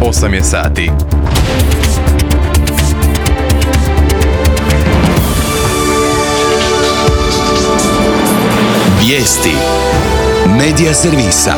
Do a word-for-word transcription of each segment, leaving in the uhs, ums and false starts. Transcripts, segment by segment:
osam je sati. Vijesti Medija servisa.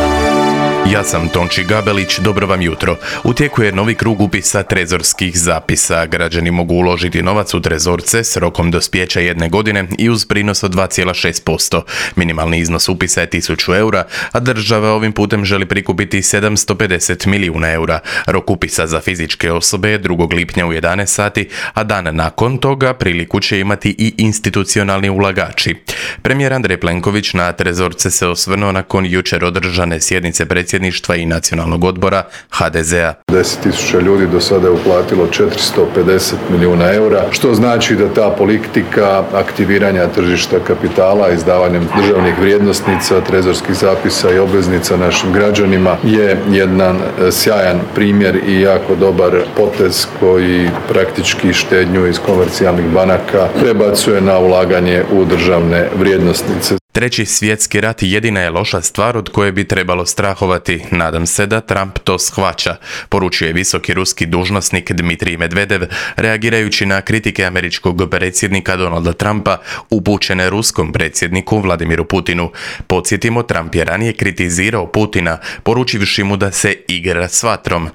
Ja sam Tonči Gabelić, dobro vam jutro. U tijeku je novi krug upisa trezorskih zapisa. Građani mogu uložiti novac u trezorce s rokom dospijeća jedne godine i uz prinos od dva zarez šest posto. Minimalni iznos upisa je tisuću eura, a država ovim putem želi prikupiti sedamsto pedeset milijuna eura. Rok upisa za fizičke osobe je drugog lipnja u jedanaest sati, a dan nakon toga priliku će imati i institucionalni ulagači. Premijer Andrej Plenković na trezorce se osvrnuo nakon jučer održane sjednice predsjedništva i nacionalnog odbora ha de zea. deset tisuća ljudi do sada je uplatilo četiristo pedeset milijuna eura, što znači da ta politika aktiviranja tržišta kapitala, izdavanjem državnih vrijednosnica, trezorskih zapisa i obveznica našim građanima je jedan sjajan primjer i jako dobar potez koji praktički štednju iz komercijalnih banaka prebacuje na ulaganje u državne vrijednosnice. Treći svjetski rat jedina je loša stvar od koje bi trebalo strahovati. Nadam se da Trump to shvaća, poručio je visoki ruski dužnosnik Dmitrij Medvedev, reagirajući na kritike američkog predsjednika Donalda Trumpa upućene ruskom predsjedniku Vladimiru Putinu. Podsjetimo, Trump je ranije kritizirao Putina, poručivši mu da se igra s vatrom.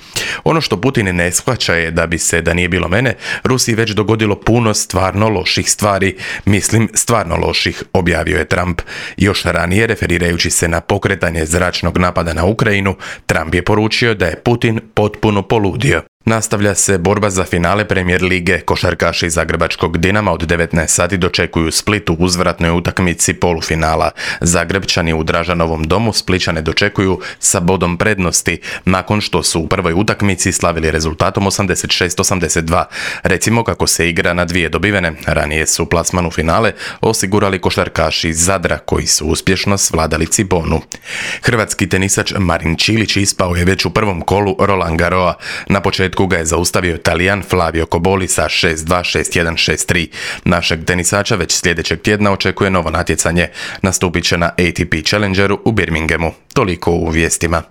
Ono što Putin ne shvaća je da bi se, da nije bilo mene, Rusiji već dogodilo puno stvarno loših stvari. Mislim, stvarno loših, objavio je Trump. Još ranije, referirajući se na pokretanje zračnog napada na Ukrajinu, Trump je poručio da je Putin potpuno poludio. Nastavlja se borba za finale Premier lige. Košarkaši zagrebačkog Dinama od devetnaest sati dočekuju Split u uzvratnoj utakmici polufinala. Zagrebčani u Dražanovom domu Splićane dočekuju sa bodom prednosti, nakon što su u prvoj utakmici slavili rezultatom osamdeset šest osamdeset dva. Recimo kako se igra na dvije dobivene. Ranije su plasman u finale osigurali košarkaši iz Zadra, koji su uspješno svladali Cibonu. Hrvatski tenisač Marin Čilić ispao je već u prvom kolu Roland Garrosa. Na početku ga je zaustavio Talijan Flavio Cobolli sa šest dva, šest jedan, šest tri. Našeg tenisača već sljedećeg tjedna očekuje novo natjecanje. Nastupit će na A T P Challengeru u Birminghamu. Toliko u vijestima.